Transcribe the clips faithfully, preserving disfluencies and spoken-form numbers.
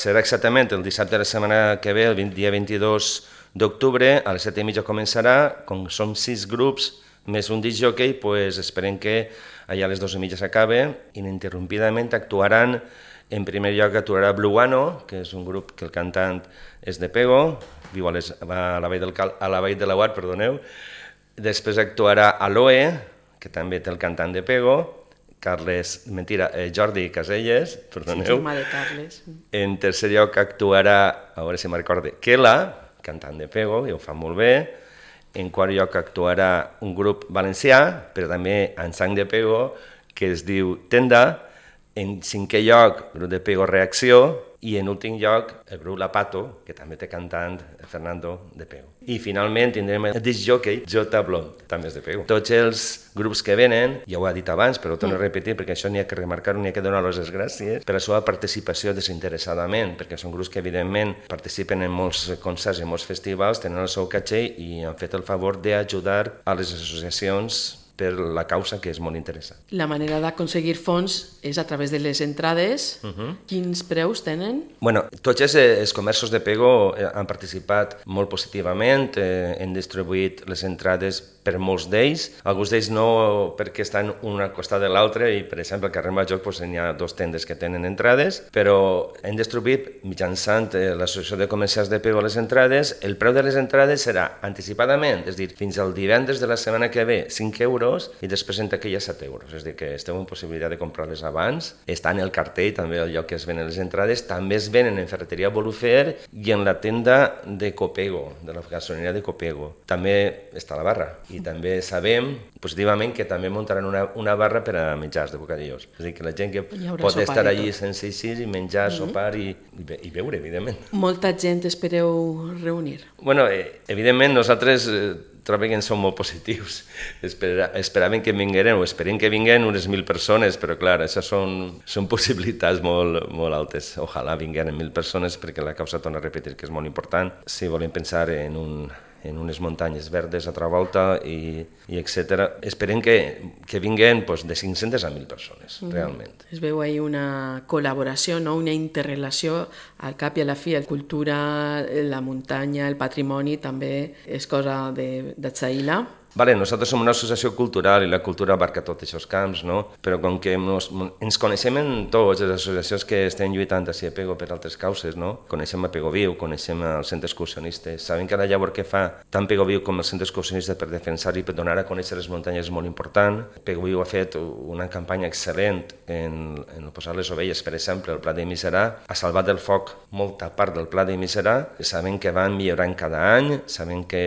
Serà exactament el dissabte de la setmana que ve, el dia vint-i-dos d'octubre, a les set i mitja començarà, com som sis grups, més un disc jockey, pues esperem que allà a les dues i mitja s'acabe, ininterrompidament actuaran, en primer lloc actuarà Bluano, que és un grup que el cantant és de Pego, viu a, les, a la Vall del Cal, a la Vall de Laguar, perdoneu. Després actuarà Aloe, que també té el cantant de Pego, Carles, mentira, eh, Jordi Caselles, perdoneu. Sí, germà de Carles. En tercer lloc actuarà, a veure si me'n recorde, Kela, cantant de Pego, i ho fa molt bé. En quart lloc actuarà un grup valencià, però també en sang de Pego, que es diu Tenda. En cinquè lloc, el grup de Pego Reacció. I en últim lloc, el grup La Pato, que també té cantant Fernando de Pego. I finalment tindrem el disc jockey Jota Blond, també és de Pego. Tots els grups que venen, ja ho he dit abans, però ho torno a repetir perquè això n'hi ha que remarcar, n'hi ha que donar-los les gràcies per la seva participació desinteressadament, perquè són grups que evidentment participen en molts concerts i molts festivals, tenen el seu caché i han fet el favor d'ajudar a les associacions per la causa, que és molt interessant. La manera d'aconseguir fons és a través de les entrades. Uh-huh. Quins preus tenen? Bueno, tots els, els comerços de Pego han participat molt positivament, eh, han distribuït les entrades per molts d'ells, alguns d'ells no perquè estan un al costat de l'altre i, per exemple, al carrer Major pues, hi ha dos tendes que tenen entrades, però hem distribuït mitjançant eh, l'Associació de Comerciants de Pego les entrades. El preu de les entrades serà anticipadament, és a dir, fins al divendres de la setmana que ve, cinc euros, i després en taquilla set euros, és a dir, que esteu en possibilitat de comprar-les abans. Està en el cartell, també al lloc que es venen les entrades, també es venen en Ferreteria Bolufer i en la tenda de Copego, de la gasolineria de Copego. També està la barra. I també sabem positivament que també muntaran una, una barra per a menjars de bocadillos. És a dir, que la gent que pot estar allí sense eixir i menjar, mm-hmm. sopar i, i beure, evidentment. Molta gent espereu reunir? Bueno, eh, evidentment nosaltres eh, trobem que som molt positius. Espera, esperàvem que vingueren, o esperem que vinguin unes mil persones, però clar, això són, són possibilitats molt, molt altes. Ojalà vingueren mil persones perquè la causa, torna a repetir, que és molt important. Si volem pensar en un... en unes muntanyes verdes a altra volta i, i etcètera. Esperem que, que vinguin pues, de cinc-centes a mil persones, mm. realment. Es veu ahí una col·laboració, no? Una interrelació al cap i a la fi. La cultura, la muntanya, el patrimoni també és cosa de, de Tsaïla. Vale, nosaltres som una associació cultural i la cultura abarca tots aquests camps, no? Però com que nos, ens coneixem en tots, les associacions que estem lluitant a Pego per altres causes, no? Coneixem a Pego Viu, coneixem els centres excursionistes, sabem que la llavor que fa tant Pego Viu com els centres excursionistes per defensar i per donar a conèixer les muntanyes és molt important. Pego Viu ha fet una campanya excel·lent en, en posar les ovelles, per exemple, al Pla de Miserà, ha salvat del foc molta part del Pla de Miserà, sabem que van millorant cada any, sabem que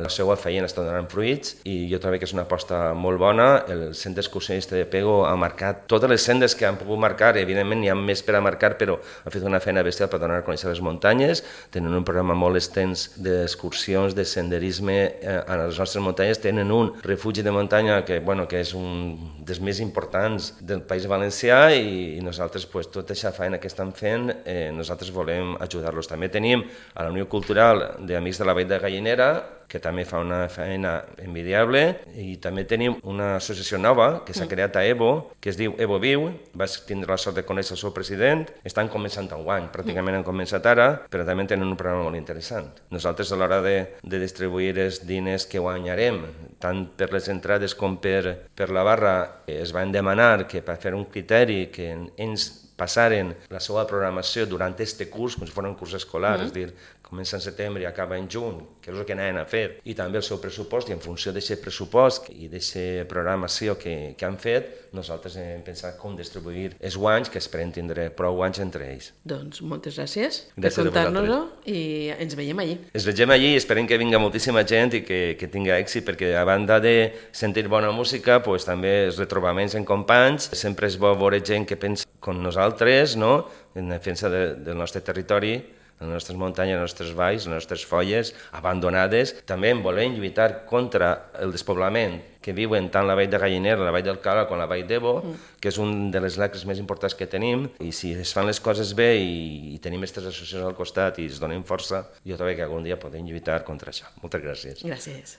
la seva feina està donant fruits, i jo trobo que és una aposta molt bona. El centre excursionista de Pego ha marcat totes les sendes que han pogut marcar, evidentment n'hi ha més per a marcar, però ha fet una feina bestial per donar a conèixer les muntanyes, tenen un programa molt extens d'excursions, de senderisme a les nostres muntanyes, tenen un refugi de muntanya que, bueno, que és un dels més importants del País Valencià i, i nosaltres, pues, tota aquesta feina que estan fent, eh, nosaltres volem ajudar-los. També tenim a la Unió Cultural d'Amics de la Vall de Gallinera, que també fa una feina envidiable, i també tenim una associació nova que s'ha creat a Evo, que es diu Evo Viu. Vaig tindre la sort de conèixer el seu president. Estan començant enguany, pràcticament han començat ara, però també tenen un programa molt interessant. Nosaltres, a l'hora de, de distribuir els diners que guanyarem, tant per les entrades com per, per la barra, es van demanar que per fer un criteri que ens passaren la seva programació durant aquest curs, com si fos un curs escolar, mm. és dir, comença en setembre i acaba en juny, que és el que anaven a fer, i també el seu pressupost, i en funció d'aquest pressupost i d'aquesta programació que, que han fet, nosaltres hem pensat com distribuir els guanys, que esperem tindre prou guanys entre ells. Doncs moltes gràcies, gràcies per contar-nos-ho i ens veiem allí. Ens veiem allí i esperem que vinga moltíssima gent i que, que tinga èxit, perquè a banda de sentir bona música, pues, també els retrobaments en companys, sempre és bo veure gent que pensa com nosaltres, no? En defensa de, del nostre territori, les nostres muntanyes, les nostres valls, les nostres folles abandonades. També en volem lluitar contra el despoblament que viuen tant la vall de Gallinera, la vall del Cala com la vall d'Evo, mm. que és un de les lacres més importants que tenim, i si es fan les coses bé i, i tenim aquestes associacions al costat i es donem força, jo trobo que algun dia podem lluitar contra això. Moltes gràcies. Gràcies.